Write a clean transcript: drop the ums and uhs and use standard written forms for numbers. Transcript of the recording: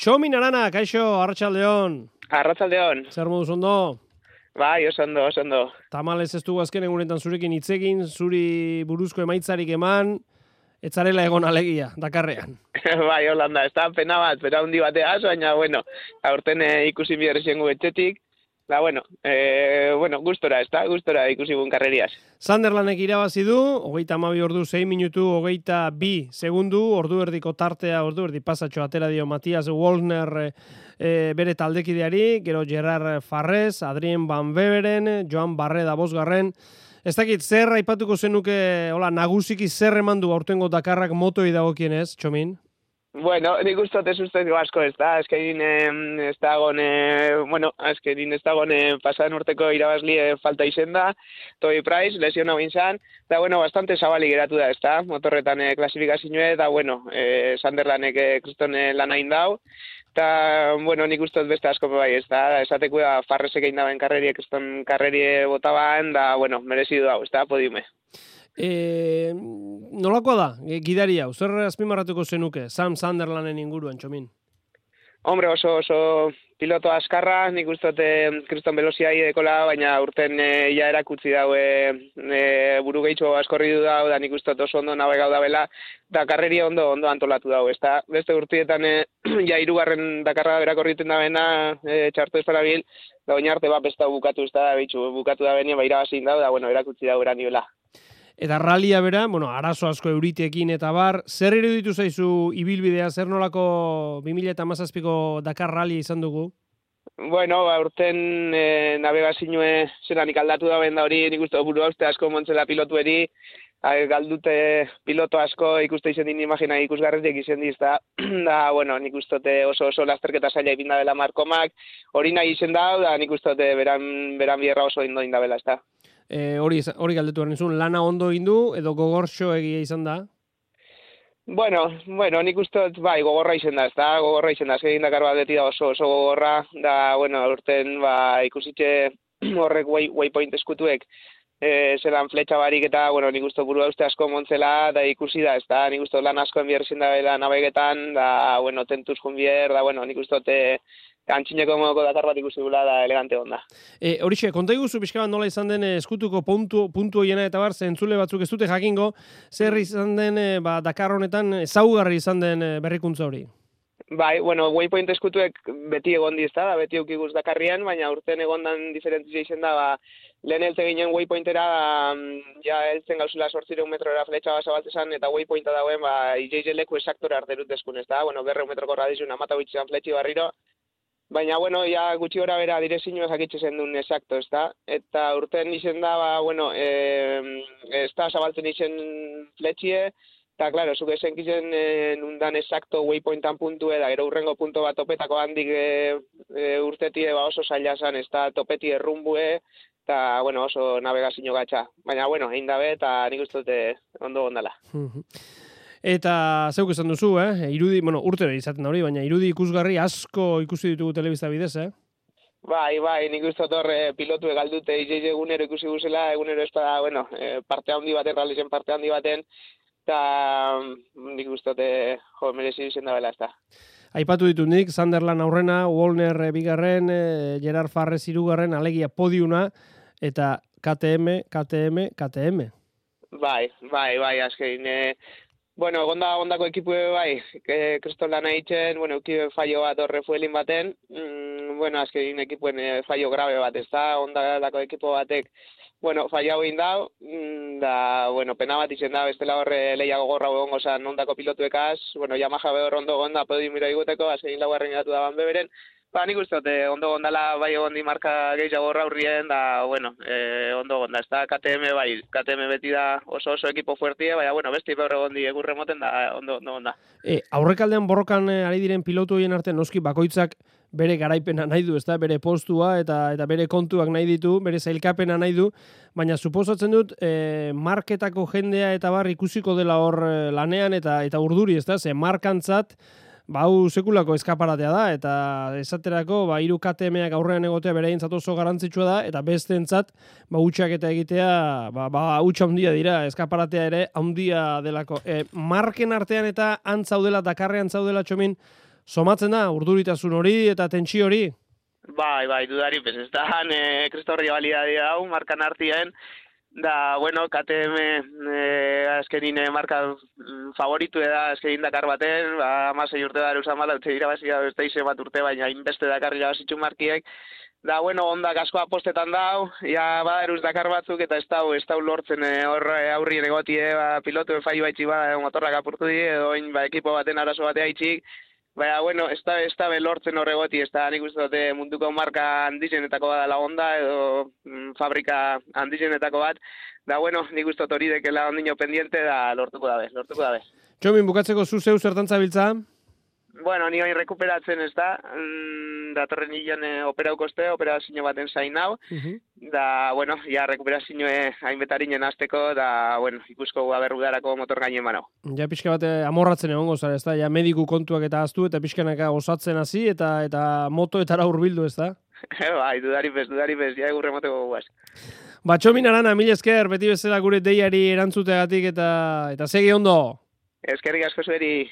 Txomin Arana, kaixo, arratsaldeon. Arratsaldeon. Zer moduz ondo? Bai, oso ondo. Tamalez ez dugu azken egunetan zurekin hitz egin, zuri buruzko emaitzarik eman, etzarela egon alegia, Dakarrean. Bai, Holanda, ez da pena handi bateaz, baina, bueno, aurten ikusi biherri zengu etxetik, da, gustora, ez da, gustora ikusi bun karreriaz. Sunderlandek irabazi du, 32 ordu 6 minutu, 22 segundu, ordu erdiko tartea, ordu erdi pasatxo atera dio Matias Wallner bere taldekideari, gero Gerard Farrez, Adrien Van Beveren, Joan Barreda bosgarren. Ez dakit, zer aipatuko zenuke, nagusiki zer emandu aurtengo Dakarrak motoi dagokienez, Txomin? Bueno, nik ustot ez ustez asko ez da, azkenin ez dagoen pasaden urteko irabazli falta izen da, Toby Price, lesion hau inzan, eta bastante zabali geratu da, ez da, motorretan klasifikazioe, eta Sunderlandek kriston lan hain dau, eta, nik ustot beste asko bai, ez da, esateko da Farrezek egin daben kriston karrerie botaban, da, merezidu dau, ez da, podiume. Nolakoa da, gidaria, zer azpimarratuko zenuke, Sam Sunderlanden inguruan, Txomin? Hombre, oso piloto askarra, nik uste kriston velozia idekola, baina urten ja erakutsi daue buru gehitxo askorri du dau, da nik uste oso ondo nabegau da bela, da karreria ondo antolatu dau, ez da, beste urtietan ja hirugarren Dakarra berakorriten da bena, txartu esparabil, da oin arte besta bukatu, ez da, bukatu da benia, irabazin dau, da, erakutsi dau eranioela. Eta ralia bera, arazo asko euritekin eta bar, zer iruditu zaizu ibilbidea, zer nolako 2017ko Dakar ralia izan dugu? Urten navegazioe zelanik aldatu da benda hori, nik uste buru hauste asko montzela pilotueri, galdute piloto asko ikuste izen din imagina ikusgarretik izen diz, da, nik uste oso lasterketa zaila ipinda dela Markomak, hori nahi izen da, nik uste beran bierra oso indo indabela, ez da. Hori galdetu behar nizun, lana ondo egin du, edo gogorxo egia izan da? Nik uste gogorra izan da, ez da, egin Dakar bat da oso gogorra, da, urten ikusitxe horrek waypoint eskutuek, zelan fletxa barik eta, nik uste buru uste asko montzela, da ikusi da, ez da, nik uste lan asko enbierzen da bela nabegetan, da, tentuz junbier, da, nik uste antxineko modoko Dakar bat ikusi gula da elegante onda. Horixe, konta iguzu pixka bat nola izan den eskutuko puntu hoiena eta bar, zentzule batzuk ez dute jakingo, zer izan den Dakar honetan ezaugarri izan den berrikuntza hori? Bai, waypoint eskutuek beti egon diz da, beti eukiguz Dakarrian, baina urten egondan diferentzia izan da, lehen heltze ginen waypointera, ja heltzen gauzula 800 metrora fletxa bat zabaltzezan, eta waypointa dauen, IJJ leku esaktore arterut deskun, ez da, 200 metroko radizun amata bitxean fletxi barriro, baina, ja gutxi gora bera direzio ezakitxe zen duen esakto, ez da? Eta urten izen da, ez da zabaltzen izen fletxie, eta, klaro, zuk esenkizen nundan esakto waypointan puntue, da gero urrengo punto bat topetako handik urtetie oso zaila zan, ez da topeti errumbue, eta, oso navegazio gatxa. Baina, egin dabe, eta nik uste dute ondo gondala. Eta zeuk esan duzu, irudi, urtero izaten da hori, baina irudi ikusgarri asko ikusi ditugu telebista bidez, Bai, nik uste dut pilotu egaldute IJJ egunero ikusi guzela, egunero ez da, parte handi baten, realizen parte handi baten, eta nik uste dut merezi izen da bela ez da. Aipatu ditut nik, Sunderland aurrena, Wallner bigarren, Gerard Farrez hirugarren, alegia podiuna, eta KTM. Bai, azkein, ondako ekipue bai, kriston lan egiten, ekipe fallo bat horre fuelin baten, azkein ekipuen fallo grabe bat, ez da, ondako ekipo batek, fallo hau egin dau, da, pena bat izen da, bestela horre lehiago gorra egongo zan ondako pilotuekaz, Yamaha behor ondo gonda podiumiro iguteko, azkein laugarren gatu da Van Beveren, nik uste dut, ondo gondala bai egondi marka gehiago gorra hurrien, da, ondo gonda, ez da, KTM beti da oso ekipo fuertie, baina, besti behor egondi egurre moten da, ondo gonda. Aurrekaldean borrokan ari diren pilotu horien arte, noski bakoitzak bere garaipena nahi du, ez da, bere postua eta bere kontuak nahi ditu, bere zailkapena nahi du, baina suposatzen dut, marketako jendea eta bar ikusiko dela hor lanean eta urduri, ez da, ze markantzat, hau sekulako eskaparatea da, eta esaterako, hiru KTM-ak aurrean egotea bereintzat oso garrantzitsua da, eta besteentzat, hutsak eta egitea, hutsa handia dira, eskaparatea ere handia delako. Marken artean eta antzaudela, Dakarrean zaudela, Txomin, somatzen da, urduritasun hori eta tentsio hori? Bai, dudari, pues, ez da, kristorri balidadea hau, markan artien, da, bueno, KTM azkenin marka favoritu da azkenin Dakar baten, ba, 16 urte da erusan mala, utze irabazia beste ize bat urte, baina inbeste Dakar irabazitxu markiek, da, bueno, onda asko apostetan dau, ja, baderuz Dakar batzuk, eta ez dau lortzen hor aurrien egotie, ba, pilotuen fallo baitxi ba, motorrak apurtu di, edo ba, ekipo baten arazo batea itxik, baina, bueno, ez da lortzen horregoti, ez da nik uste dute munduko marka handizenetako bat dela Honda, edo fabrika handizenetako bat, da, bueno, nik uste dut hori dekela ondino pendiente, da lortuko dabe. Txomin, bukatzeko zu zeu zertan zabiltza? Bueno, ni hori rekuperatzen ez da, datorren hilean operazio baten zain hau, da, bueno, ja rekuperazio hainbetarinen azteko, da, bueno, ikusko aberrudarako motor gainen manau. Ja pixka bat amorratzen egongo zara, ez da? Ja mediku kontuak eta aztu, eta pixkanaka osatzen hasi eta motoetara hurbildu, ez da? Bai, dudari bez, ja egurre moteko guaz. Ba, Txomin Arana, mil esker, beti bezala gure deiari erantzuteagatik eta segi ondo. Eskerrik asko zueri.